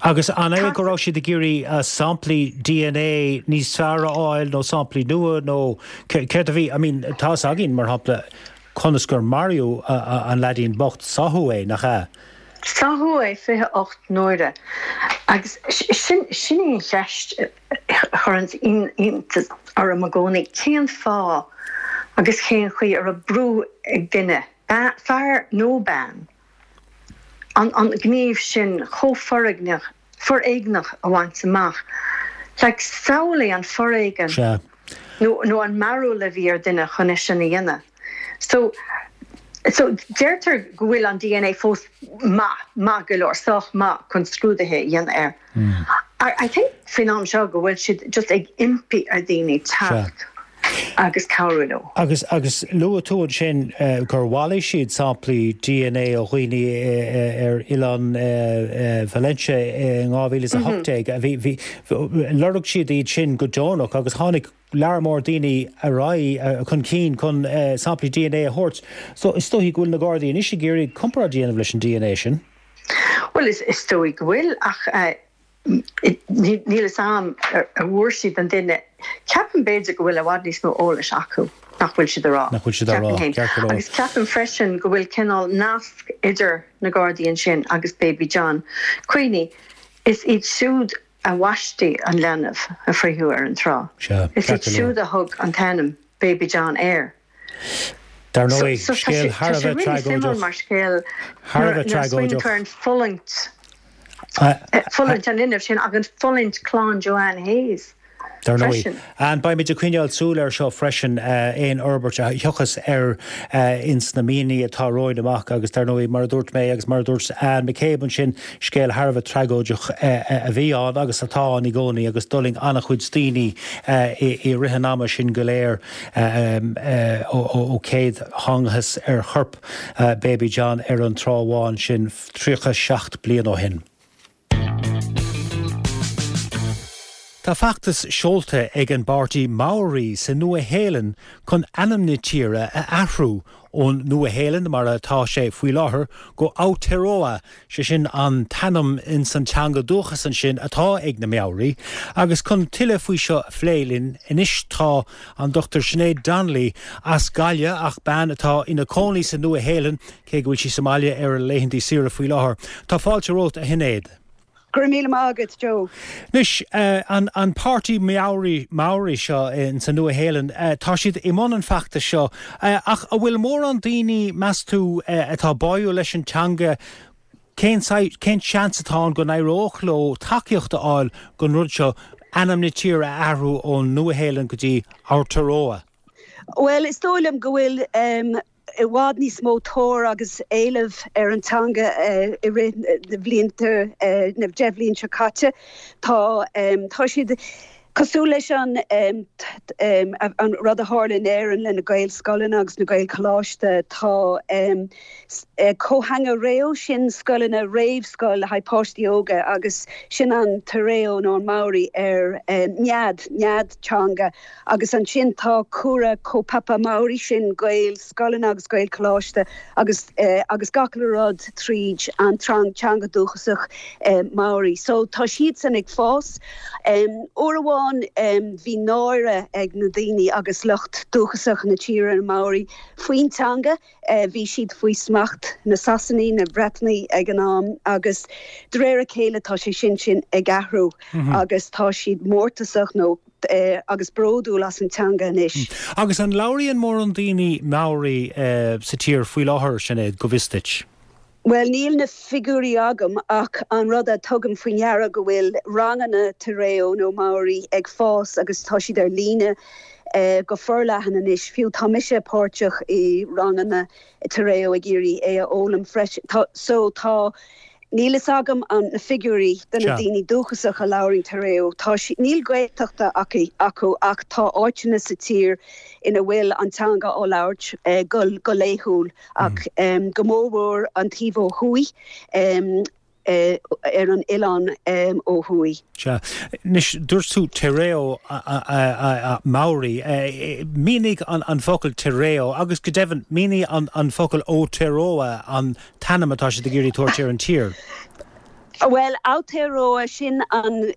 Agus an é tá go raibh siad ag iarraidh samplaí DNA níos fearr a fháil nó samplaí nua nó céard a bhí, I mean, tá fhios againn, mar shampla, conas gur maraíodh an leaidín bocht, sáthadh é, nach ea? Sáthadh é fiche ocht n-uaire agus sin sin í an cheist a chuireann iontas orm i gcónaí, cén fáth agus cén chaoi a raibh brú ag duine, fear nó bean, an an gníomh sin chomh foréigneach foréigneach a bhaint amach? Like, samhlaigh an foréigean Sea. nó nó an mearbhall a bhí ar duine chun é sin a dhéanamh. So So deirtear go bhfuil an DNA fós maith, maith go leor, sách maith chun scrúduithe a dhéanamh air. I I think faoin am seo go bhfuil siad just ag impí ar dhaoine teacht agus cabhrú leo. Agus agus luaigh tú ansin gur bhailigh siad samplaí DNA ó dhaoine ar oileán Valentia in dhá mhíle is a hocht déag. Bhí bhí lorg siad iad sin go deonach agus tháinig lear mór daoine ar aghaidh chun cinn chun samplaí DNA a thabhairt. So is dóigh go bhfuil na Gardaí anois ag iarraidh comparáid a dhéanamh leis an DNA sin. Bhuel is is dóigh go bhfuil ach níl fhios a'm ar bhfuair siad an duine. Ceapaim b'fhéidir go bhfuil i bhfad níos mó eolais acu nach bhfuil siad a rá. Nach bhfuil siad a rá, Ceapaim féin. ceart go leor. Agus ceapaim freisin go bhfuil cineál nasc idir na Gardaí ansin agus Baby John. Cuimhnigh, is iad siúd a bhaistí an leanbh a fritheadh ar an trá. Sea, Is iad ceart go leor. siúd a thug an t-ainm Baby John air. Dar So, ndóigh, so tá scéal sé, thar tá a sé bheith really suimiúil tragóideach. mar scéal Thar a nuair, bheith nuair a smaoiníonn tú tragóideach. ar an fulaingt, fulaingt an linbh sin agus fulaingt clann Joanne Hayes. Dar ndóigh. Ann beimid ag coinneáil súil air seo freisin, aon fhorbairt a thiocfas air ins na míonna atá romhainn amach agus dar ndóigh, mar a dúirt mé agus mar a dúirt Anne McCabe ansin, scéal thar a bheith tragóideach a bhí ann agus atá ann i gcónaí agus d'fhulaing an-chuid daoine i rith an ama sin go léir ó céad thángthas ar chorp Baby John ar an Trá Bháin sin tríocha seacht bliain ó shin. Tá feachtas seolta ag an bpáirtí Maori sa Nua-Shéalainn chun ainm na tíre a athrú ón Nua-Shéalainn mar atá sé faoi láthair go Aotearoa, sé sin an t-ainm ins an teanga dúchas ansin atá ag na Maori. Agus chun tuilleadh faoi seo a phlé linn anois tá an Dochtúir Sinéad Donnelly as Gaillimh ach bean atá ina cónaí sa Nua-Shéalainn cé go bhfuil sí sa mbaile ar a laethanta saoire faoi láthair. Tá fáilte romhat a Shinéad. Go raibh míle maith agat, Joe. Anois, an an páirtí Maori Maori seo in sa Nua-Shéalainn, tá siad i mbun an feachtais seo, ach an bhfuil mórán daoine, meas tú, atá báúil leis an teanga, cén cén seans atá ann go n-éireodh leo tacaíocht a fháil don rud seo, ainm na tíre a athrú ón Nua-Shéalainn go dtí Aotearoa? Bhuel, is dóigh liom go bhfuil i bhfad níos mó tóir agus éileamh ar an teanga i rith na bhlianta, na deich bhliain seo caite. Tá, tá siad cosúil leis an, an rud a tharla in Éirinn le na Gaelscoileanna agus na Gaelcholáiste. Tá Kōhanga Reo, sin scoileanna réamhscoil le haghaidh páistí óga agus sin an Te Reo nó an Maori ar nead, nead teanga. Agus ansin tá Kura Kaupapa Māori, sin Gaelscoileanna agus Gaelcholáiste agus agus gach uile rud tríd an teanga dúchasach Maori. So tá siadsan ag fás. Uair amháin bhí náire ag na daoine agus lucht dúchasach na tíre, na Maori, faoin teanga. Bhí siad faoi smacht na Sasanaí, na Breatanaí ag an am agus de réir a chéile tá sé sin sin ag athrú agus tá siad mórtasach nó agus bródúil as an teanga anois. Agus an labhraíonn mórán daoine Maori sa tír faoi láthair, Sinéad, go bhfios duit? Bhuel, níl na figiúirí agam ach an rud a tugaim faoi ndeara go bhfuil ranganna Te Reo nó Maori ag fás agus tá siad ar líne go forleathan anois. Fiú tá mise páirteach i ranganna Te Reo ag iarraidh é a fhoghlaim freisin. Tá, so tá, níl fhios agam an na figiúirí de na daoine dúchasach a labhraíonn Te Reo. Tá si, níl Gaeltachta acu, acu ach tá áiteanna sa tír ina bhfuil an teanga á labhairt go, go laethúil ach go mórmhór an taobh ó thuaidh ar an oileán ó thuaidh. Sea. Anois, dúirt tú Te Reo Maori. Mínigh an focal Te Reo agus go deimhin, mínigh an focal Aotearoa, an t-ainm atá siad ag iarraidh tabhairt ar an tír. Bhuel, Aotearoa, sin an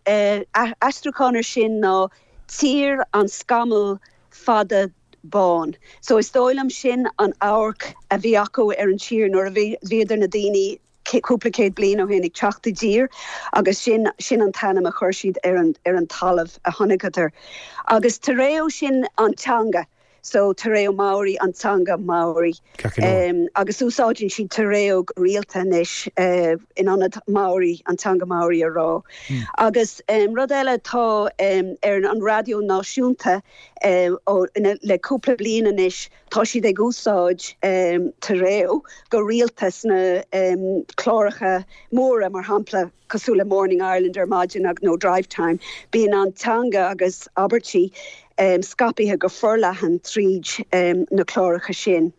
aistriúchán ar sin ná tír an scamall fada bán. So is dóigh liom sin an amharc a bhí acu ar an tír nuair a bhíodar na daoine cúpla céad bliain ó shin ag teacht i dtír agus sin sin an t-ainm a chuir siad ar an ar an talamh a chonaiceadar. Agus Te Reo sin an teanga, so Te Reo Māori an teanga Maori. Um, agus úsáideann siad Te Reo go rialta anois uh, in ionad Maori, an teanga Maori a rá. Mm. Agus um, rud eile tá um, ar an raidió náisiúnta uh, ó, ina, le cúpla bliain anois tá siad ag úsáid um, Te Reo go rialta sna um, cláracha móra mar shampla cosúil le Morning Ireland ar maidin ag nó Drive Time, bíonn an teanga agus abairtí um, scaipthe go forleathan tríd um, na cláracha sin.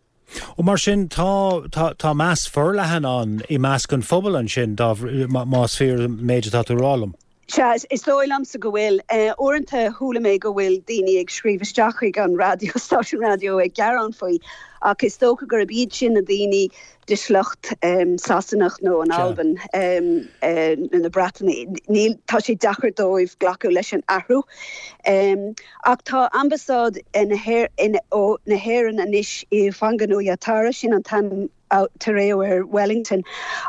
Ó mar sin tá, tá, tá meas forleathan ann i measc an phobail ansin dá más fíor an méid atá tú a rá liom. Sea, is dóigh liomsa go bhfuil. Uaireanta chuala mé go bhfuil daoine ag scríobh isteach chuig an raidió, stáisiún raidió ag gearán faoi, ach is dócha gurb iad sin na daoine de shliocht Sasanach nó an Albain nó na Breataine. Níl, tá sé deacair dóibh glacadh leis an athrú. Ach tá ambasáid na hÉireann anois i Whanganui-a-Tara, sin an t-ainm Te Reo ar Wellington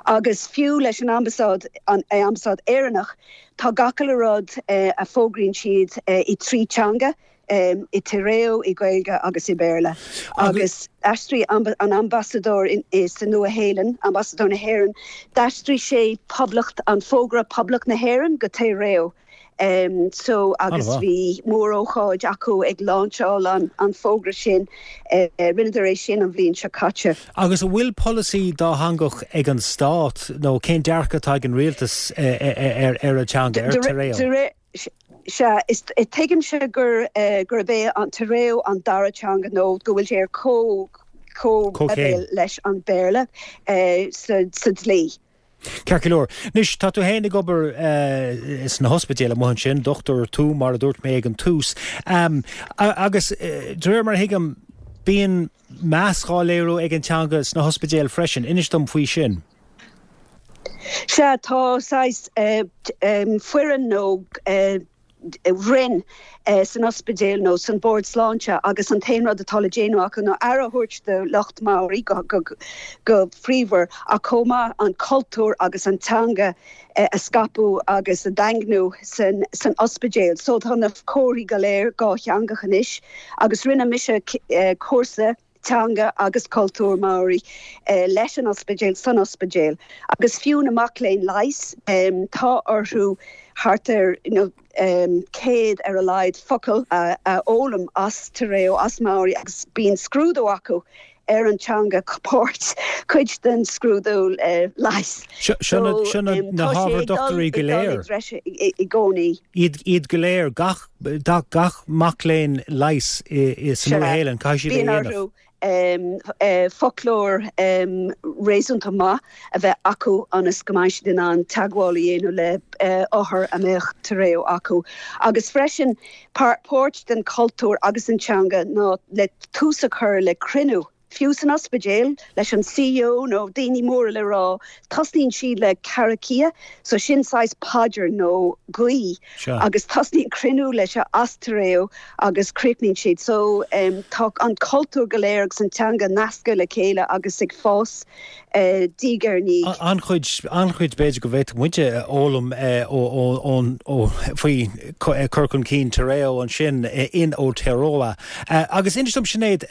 agus fiú leis an ambasáid, an ambasáid Éireannach, tá gach uile rud a fógraíonn siad i trí teanga, i Te Reo, i Gaeilge agus i Béarla. Agus d'aistrigh an ambasadóir sa Nua-Shéalainn, ambasadóir na hÉireann, d'aistrigh sé Poblacht, an fógra Poblacht na hÉireann go Te Reo. So agus bhí mórócáid acu ag lainseáil an an fógra sin uh, rinneadar é sin an bhliain seo caite. Agus an bhfuil polasaí dátheangach ag an stát nó cén dearcadh atá ag an rialtas ar ar an teanga ar te reo? Sea is tuigimse gur uh, gurb é an te reo an dara teanga nó go bhfuil sé ar có có leis an Béarla uh, sa, sa dlí. Ceart go leor. Anois tá tú féin ag obair uh, sna hospidéil amuigh ansin, dochtúir tú mar a dúirt mé ag an tús. Um, agus uh, de réir mar a thuigim bíonn meas á léiriú ag an teanga sna hospidéil freisin, inis dom faoi sin. Sea tá saghas uh, um, foireann nó uh, roinn uh, san ospidéal nó san bord sláinte agus an t-aon rud atá le déanamh acu ná aire a thabhairt do lucht Maori go, go, go príomha ach chomh maith an cultúr agus an teanga uh, a scaipeadh agus a dhaingniú san, san ospidéal. So tá na comharthaí go léir dátheangach anois agus rinne mise uh, cúrsa teanga agus cultúr Maori eh, leis an ospidéal san ospidéal. Agus fiú na mic léinn leighis um, tá orthu thart ar you know, um, céad ar a laghad focal a, a fhoghlaim as te reo as Maori agus bíonn scrúdú acu ar an teanga páirt cuid den scrúdú uh, leighis. Seo na hábhair dochtúirí go léir. I gcónaí. Iad iad go léir gach gach mac léinn leighis san Nua-Shéalainn caithfidh siad é dhéanamh. um, uh, foclóir um, réasúnta maith a bheith acu ionas go mbeidh siad in ann teagmháil a dhéanamh le uh, othar a mbeadh te reo acu. Agus freisin páirt den cultúr agus an teanga ná le tús a chur le cruinniú. Fiú san ospidéal leis an CEO nó daoine móra le rá, tosnaíonn siad le karakia, so sin saghas paidir nó guí agus tosnaíonn cruinniú leis as te reo agus críochnaíonn siad so um, tá an cultúr go léir agus an teanga nasctha le chéile agus ag fás uh, diaidh ar ndiaidh. An-chuid an-chuid b'fhéidir go bhféadfadh muide foghlaim ó faoi cur chun cinn te reo ansin in Aotearoa. Agus inis dom Sinéad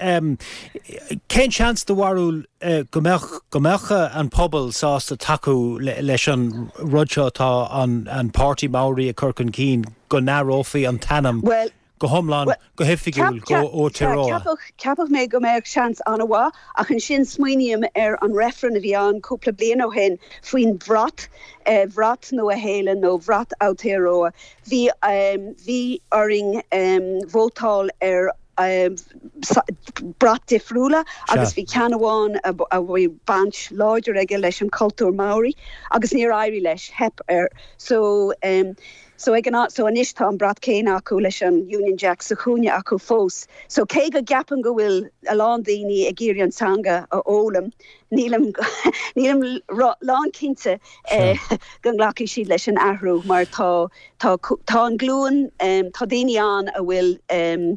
cén seans do bharúil go mbeadh go mbeadh an pobal sásta tacú leis an rud seo atá an an páirtí Maori ag cur chun cinn go n-athrófaí an t-ainm well, go hiomlán go hoifigiúil go Aotearoa. Ceapfaidh mé go mbeadh seans an-mhaith ach ansin smaoiním ar an reifreann a bhí ann cúpla bliain ó shin faoin bhrat eh, bhrat Nua-Shéalainn nó bhrat Aotearoa. Bhí um, bhí orainn um, vótáil ar um, brat difriúla agus bhí ceann amháin a bhí baint láidir aige leis an cultúr Maori agus níor éirigh leis theip air so um, so ag an so anois tá an brat céanna acu leis an Union Jack sa chúinne acu fós. So cé go gceapaim go bhfuil a lán daoine ag iarraidh an teanga a fhoghlaim nílim nílim lánchinnte eh, go nglacfaidh siad leis an athrú mar tá tá tá an glúin um, tá daoine ann a bhfuil um,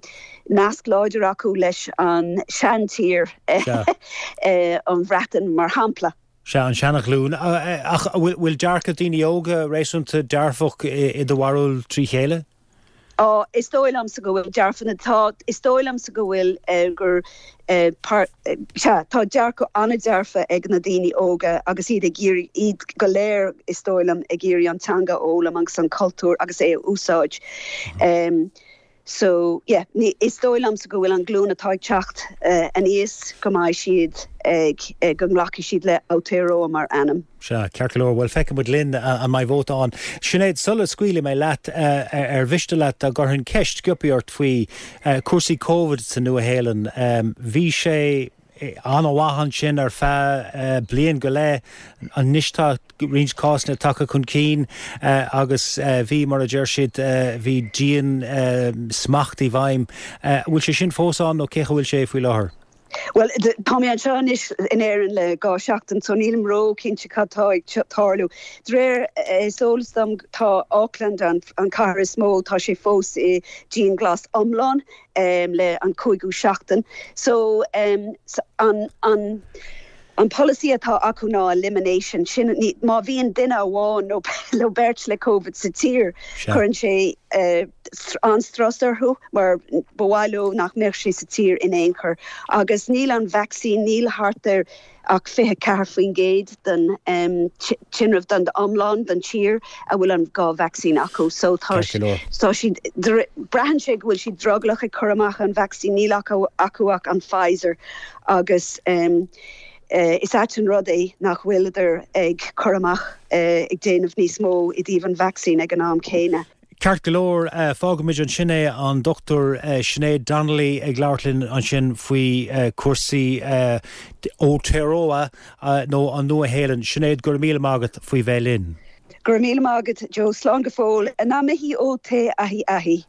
nasc láidir acu leis an seantír eh, an Bhreatain mar shampla. Sea an seanaghlúin ach bhfuil dearcadh daoine óga réasúnta dearfach i do bharúil trí chéile? Á is dóigh liomsa go bhfuil dearfadh tá is dóigh liomsa go bhfuil uh, gur uh, par, uh, tá dearcadh an-dearfach ag na daoine óga agus iad ag iarraidh iad go léir is dóigh liom ag iarraidh an teanga a fhoghlaim agus an cultúr agus é a úsáid. Um, So yeah, ní, is dóigh liomsa go bhfuil an glúin atá ag teacht uh, aníos go mbeidh siad ag uh, go nglacfaidh siad le Aotearoa mar ainm. Sea, ceart go leor bhuel feicfidh muid linn an mbeidh vóta ann. Sinéad sula scaoilfidh mé leat uh, ar mhiste leat dá gcuirfinn ceist sciobtha ort faoi uh, cúrsaí COVID sa Nua-Shéalainn. Um, bhí sé an-mhaith ansin ar feadh bliain go leith anois tá roinnt cásanna tagtha chun cinn agus bhí mar a deir siad bhí dian-smacht i bhfeidhm. Bhfuil sé sin fós ann nó cé bhfuil sé faoi láthair? Well tá mé anseo anois in Éirinn le dhá seachtain so nílim ró-chinnte cad tá ag tarlú. De réir is eolas dom tá Auckland an, an cathair is mó tá sé fós i dianghlas iomlán um, le an cúigiú seachtain. So um, an, an An polasaí atá acu ná elimination sin ní, má bhíonn duine amháin nó nó beirt le COVID sa tír cuireann sé uh, an-strus orthu mar ba mhaith leo nach mbeadh sé sa tír in aon chor agus níl an vaccine níl thart ar ach fiche ceathair faoin gcéad den um, tinreamh den iomlán den tír a bhfuil an dhá vaccine acu so tá so siad braitheann sé go bhfuil siad drogallach ag cur amach an vaccine níl acu acu ach an Pfizer agus um, Uh, is ait an rud é nach bhfuileadar ag cur amach uh, ag déanamh níos mó i dtaobh an vaccine ag an am céanna. Ceart go leor uh, fágfaimid ansin é an Dr uh, Sinéad Donnelly ag labhairt linn ansin faoi uh, cúrsaí uh, Aotearoa uh, nó an Nua-Shéalainn Sinéad go raibh míle maith agat faoi bheith linn. Go raibh míle maith agat Joe slán go fóill ngā mihi o te ahi ahi.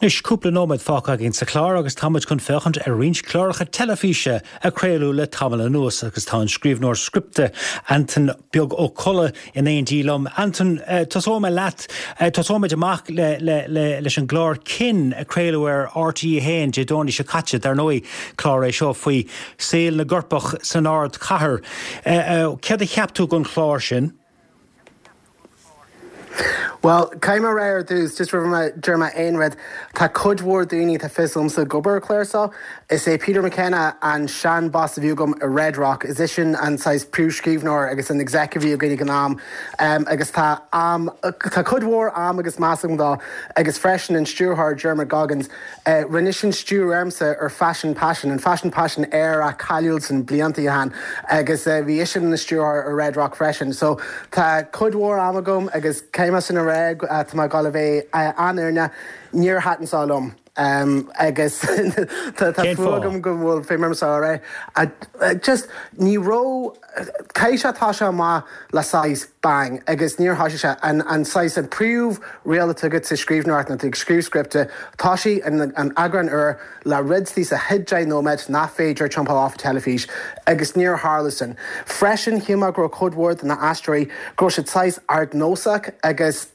Anois cúpla nóiméad fágtha againn sa chlár agus táimid chun féachaint ar roinnt cláracha teilifíse a craoladh le tamall anuas agus tá an scríbhneoir scripte Antain Beag Ó Colla in éindí liom. Antain eh, tosóidh mé leat eh, tosóimid amach le, le, le, leis an gclár Kin a craoladh ar RTÉ haon Dé Domhnaigh seo caite dar ndóigh clár é seo faoi saol na gcoirpeach san ardchathair. Eh, céard a cheap tú den chlár sin? Well, caithfidh mé a rá ar dtús just roimh mé deir mé aon rud tá cuid mhór daoine tá fios agamsa ag obair ar chlár seo. Is é Peter McKenna an sean boss a bhí agam i Red Rock, is é sin an saghas príomhscríbhneoir agus an exec a bhí againn ag an am um, agus tá am tá cuid mhór am agus meas agam dó agus freisin an stiúrthóir Dermot Goggins uh, rinne sin stiúradh ormsa ar Fashion Passion an Fashion Passion ar a cáiliúil san blianta ó shin agus uh, bhí eisean ina stiúrthóir ar Red Rock freisin. So tá cuid mhór am agam agus céim sin a rá tá mé ag gabháil a bheith an-fhírinneach níor thaitin sé liom. Um, agus tá fuath agam go bhfuil fé mar ré just ní raibh caithfidh sé tá sé amach le saghas bang agus níor thosaigh sé an an saghas an príomh-riail atá agat sa scríbhneoireacht ná ag scríobh scripte tá sí an an eagrán úr le rud sa chéad deich nóiméad nach féidir jumpáil off teilifís agus níor tharla sin. Freisin shíl mé go raibh cuid mhór de na haisteoirí go raibh siad saghas ardnósach agus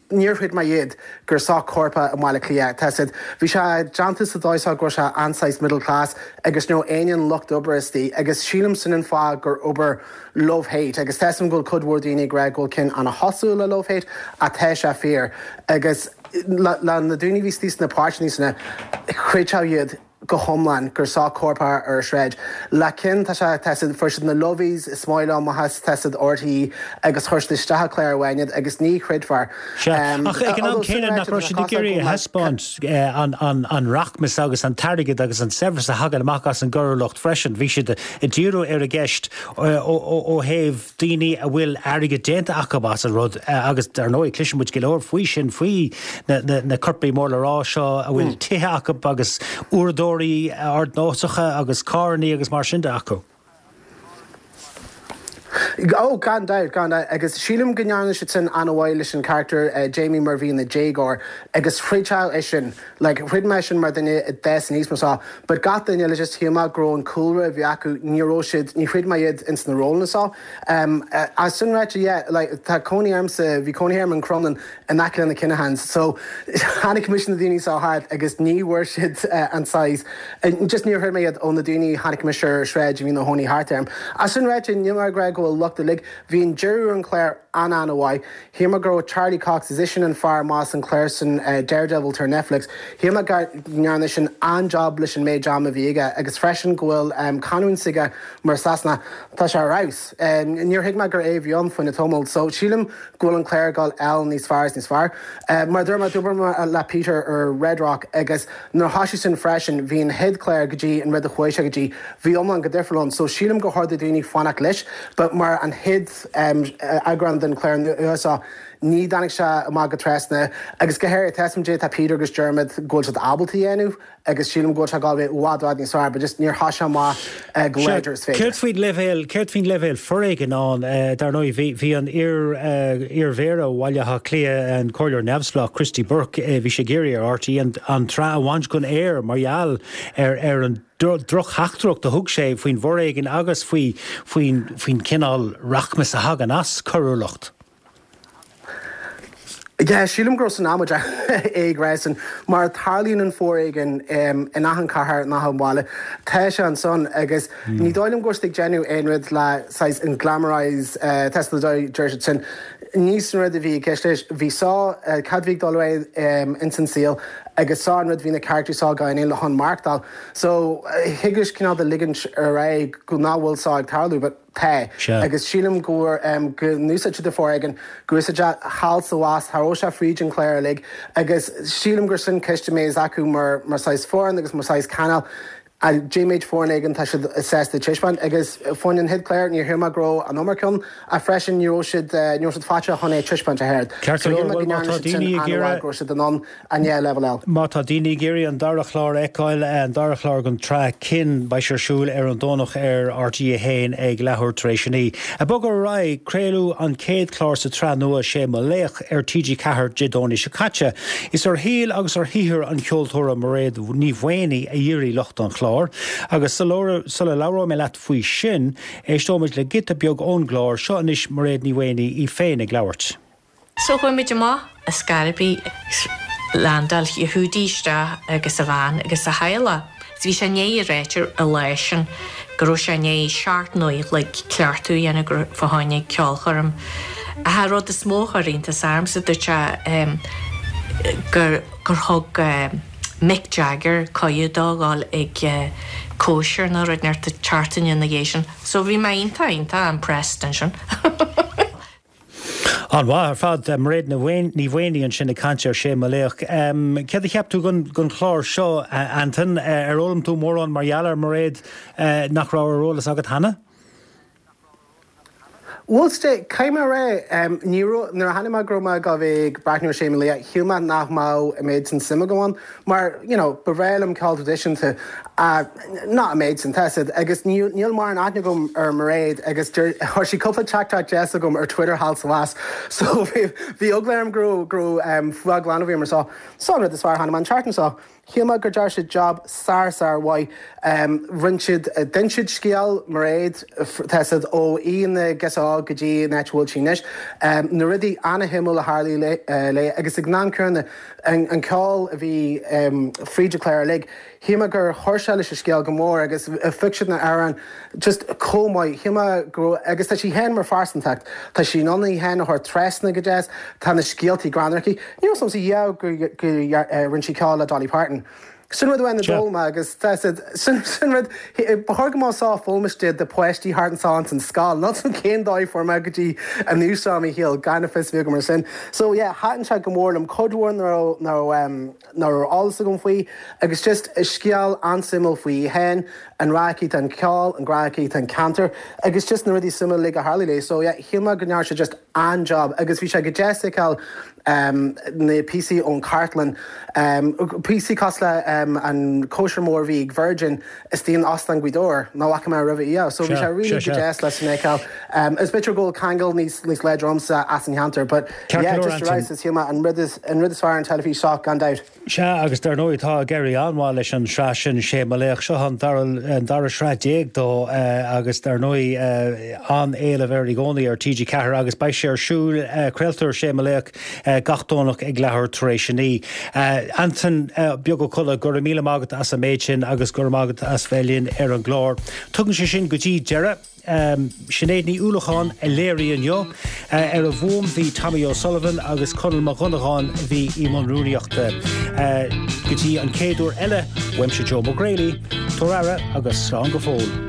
níor chreid mé iad gur seo coirpigh i mBaile Átha Cliath. Tá siad bhí sé déanta sa dóigh go raibh sé an-saghas middle class agus nó aon lucht oibre istigh agus sílim sin an fáth gur obair love hate agus tá go cuid mhór daoine ag rá go bhfuil Kin an-chosúil le love hate a tá sé fíor agus le na daoine bhí istigh sna páirteanna sna chreidfeá iad go hiomlán gur seo coirpeach ar sráid. Le Kin tá sé tá fuair siad na lovies is maith amach tá siad RTÉ agus chuir siad isteach an clár amháin agus ní chreidfear. Ach ag an am céanna nach raibh siad ag iarraidh a thaispeáint an rachmas agus an t-airgead agus an saibhreas a thagann amach as an gcoiriúlacht freisin. Bhí siad ag díriú ar an gceist ó thaobh daoine a bhfuil airgead déanta acu as an rud agus dar ndóigh cloiseann muid go leor faoi sin faoi na coirpigh mór le rá seo a bhfuil tithe acu agus uaireadóirí ardnósacha agus carranna agus mar sin de acu. Ó gan dabht gan dabht agus sílim go ndearna siad sin an-mhaith leis an character uh, Jamie mar bhí ina déagóir agus chreidfeá é sin like, chreid mé sin mar duine des níos mar but gach duine le just shíl mé go raibh an cúlra bhí acu ní raibh siad ní chreid mé iad ins na rólanna seo. Um, uh, as sin ráite yeah, like, tá cónaí ormsa bhí cónaí orm in Crumlin in aice le na Kinahans so chonaic mise na daoine seo thart agus ní bhfuair siad uh, an size uh, just níor chreid mé iad ó na daoine chonaic mise ar sráid bhí ina gcónaí thart orm. As sin ráite níl mé ag rá go bhfuil locht uilig bhí an deireadh an chlár an an-mhaith. Shíl mé go raibh Charlie Cox is sin an fear maith an chlár sin uh, Daredevil ar Netflix. Shíl mé go ndearna sin an-job leis an méid ama a bhí aige agus freisin go bhfuil um, canúint s'aige mar Sasanach tá sé rás. Um, níor thuig mé gur é bhí ann faoin tamall, so sílim go bhfuil an clár ag gabháil níos fearr níos fearr. Uh, mar dúirt mé d'oibir mé le Peter ar Red Rock agus nuair thosaigh sin freisin bhí an chéad chlár go dtí an rud a chuaigh sé go dtí bhí iomlán go difriúil ann, so sílim go hád daoine fanacht leis, but mar an chéad um, eagrán den chlár nua ní tháinig sé amach go trasna agus go háirithe tá tá Peter agus Dermot go bhfuil siad ábalta dhéanamh agus sílim go bhfuil sé ag gabháil i bhfad bhfad níos fearr, but just níor thosaigh sé amach uh, go láidir is féidir. Céard faoin leibhéal céard faoin leibhéal foréigin ann dar ndóigh bhí bhí an iar iarMhéara Bhaile Átha Cliath an comhairleoir neamhspleách Christy Burke bhí sé ag iarraidh ar RTÉ an an tsraith a bhaint den aer mar gheall ar ar an drochtheachtaireacht a thug sé faoin bhforéigean agus faoi faoin faoin cineál rachmas a thagann as coiriúlacht. Yeah, sílim go raibh san amaideach ag rá sin mar tarlaíonn an foréigean um, in achan cathair in achan bhaile tá sé ansan agus mm. ní dóigh liom go raibh siad ag déanamh aon rud le saghas an glamorize uh, deir siad sin ní sin rud a bhí i gceist leis bhí sá uh, cad bhí ag dul ar um, ins an saol agus sá an rud bhí na characters sá gain le hon markdal so higus cineál de ligint ar aghaidh go nach bhfuil sá ag tarlú but tá agus sílim gur um, go n-úsáid siad foréigean go úsáid thall is abhus thar sé fríd an chlár uilig agus sílim gur sin ceist mé acu mar mar saghas foireann agus mar saghas cainéal a J-méid foréigean tá siad sásta taispeáint agus faoin an chéad chlár níor shíl mé go raibh an iomarca ann a freisin ní raibh siad ní raibh siad faitíoch chun é taispeáint a théad. Ceart go leor, bhuel má tá daoine ag iarraidh go raibh siad in ann an é level eile. Má tá daoine ag iarraidh an dara chlár a fheiceáil, an dara chlár den tsraith Kin, beidh sé ar siúl ar an Domhnach ar RTÉ a haon ag leathuair tar éis a naoi. Ag bogadh ar aghaidh, craoladh an chéad chlár sa tsraith nua Sé Mo Laoch ar T G ceathair Dé Domhnaigh seo caite. Is ar shaol agus ar shaothar an cheoltóra Mairéad Ní Mhaonaigh a dhírigh lucht an chláir agus sula labhróidh mé leat faoi sin, éisteoimid le giota beag ón gclár seo anois Mairéad Ní Mhaonaigh í féin ag labhairt. So chuaigh muid amach as Scaraby, landáil Yehudi isteach agus a bhean agus a theaghlach. Is bhí sé i ndiaidh a ráit an lá sin go raibh sé i ndiaidh seacht n-uair a chloig cleachtadh a dhéanamh fá choinne ceolchoirm. Ach an rud is mó a chuir iontas ormsa dúirt sé gur gur thug Mick Jagger cuireadh dó dhul ag cóisir nó rud inteacht seachtain ina dhiaidh sin. So bhí mé iontach iontach impressed ansin. An-mhaith ar fad, Mairéad Ní Mhaonaigh ansin ag caint ar Sé Mo Laoch. Céard a cheap tú den chlár seo, Antain? Ar fhoghlaim tú mórán mar gheall ar Mairéad nach raibh ar eolas agat cheana? Bhuel, caithfidh mé a rá, ní raibh, nuair a chonaic mé go raibh mé ag gabháil a bheith ag breathnú ar Sé Mo Laoch, shíl mé nach mbeadh an méid sin suim agam ann, mar, you know, ba bhreá liom ceol traidisiúnta, not an méid sin, tá 'fhios a'd, agus níl mórán aithne agam ar Mairéad agus chuir sí cúpla teachtaireacht deas chugam ar Twitter thall is abhus, so bhí eagla orm go raibh, go raibh fuath glan uirthi mar so, so an rud is fearr a chonaic mé an tseachtain seo. Shíl mé gur dear siad job sár sár mhaith. Rinne siad, d'inis siad scéal Mairéad, tá 'fhios a'd, ó í ina girseach óg go dtí an áit a bhfuil sí anois. Na rudaí ana-shuimiúil a tharlaigh léi agus ag an am céanna an ceol a bhí fríd an chlár uilig. Shíl mé gur chuir sé leis an scéal go mór agus phioc siad na hamhráin just chomh maith. Shíl mé go raibh, agus tá sí féin mar phearsantacht, tá sí in ann í féin a thabhairt trasna go deas, tá na scéaltaí greannmhar aici. Ní raibh 'fhios a'msa riamh gur rinne sí ceol le Dolly Parton. Sin rud amháin a d'fhoghlaim mé agus tá 'fhios a'd, sin sin rud, ba chóir go mbeadh seo á foghlaim de de páistí thart anso ins an scoil, níl 'fhios a'm cén dóigh a fuair mé go dtí an nós seo i mo shaol gan fios a bheith agam ar sin. So yeah, thaitin sé go mór liom, cuid mhór nach raibh nach raibh nach raibh eolas agam faoi agus just scéal an-suimiúil faoi í féin, an grá aici don cheol, an grá aici don cheantar agus just na rudaí suimiúla uilig a tharlaigh léi. So yeah, shíl mé go ndearna siad just an-job agus bhí sé go deas feiceáil um, na píosaí ón chartlann, um, píosaí cosúil le um, an cóisir mór a bhí ag Virgin istigh in Óstán Ghaoth Dobhair, nach bhfaca mé roimhe í. So bhí sé really go deas le sin a fheiceáil. Um, is b'fhéidir go bhfuil ceangal níos, níos láidre ormsa as an cheantar, but yeah, just a rá, shíl mé an rud is, an rud is fearr ar an teilifís seo gan dabht. Sea, agus dar ndóigh tá ag éirí an-mhaith leis an sraith sin, Sé Mo Laoch. Seo an dara, an dara sraith déag dó agus dar ndóigh an-éileamh air i gcónaí ar T G ceathair agus beidh sé ar siúl, craoltar Sé Mo Laoch gach Domhnach ag leathuair tar éis a naoi. Antain Beag Ó Colla, go raibh míle maith agat as an méid sin agus go raibh maith agat as bheith linn ar an gclár. Tugann sé sin go dtí deireadh. Sinéad Ní Uallacháin a léirigh inniu. Ar an bhfuaim bhí Tommy O'Sullivan agus Conall Mac Dhonnagáin a bhí i mbun rúnaíochta. Go dtí an chéad uair eile, uaimse Joe McGrailey, tabhair aire agus slán go fóill.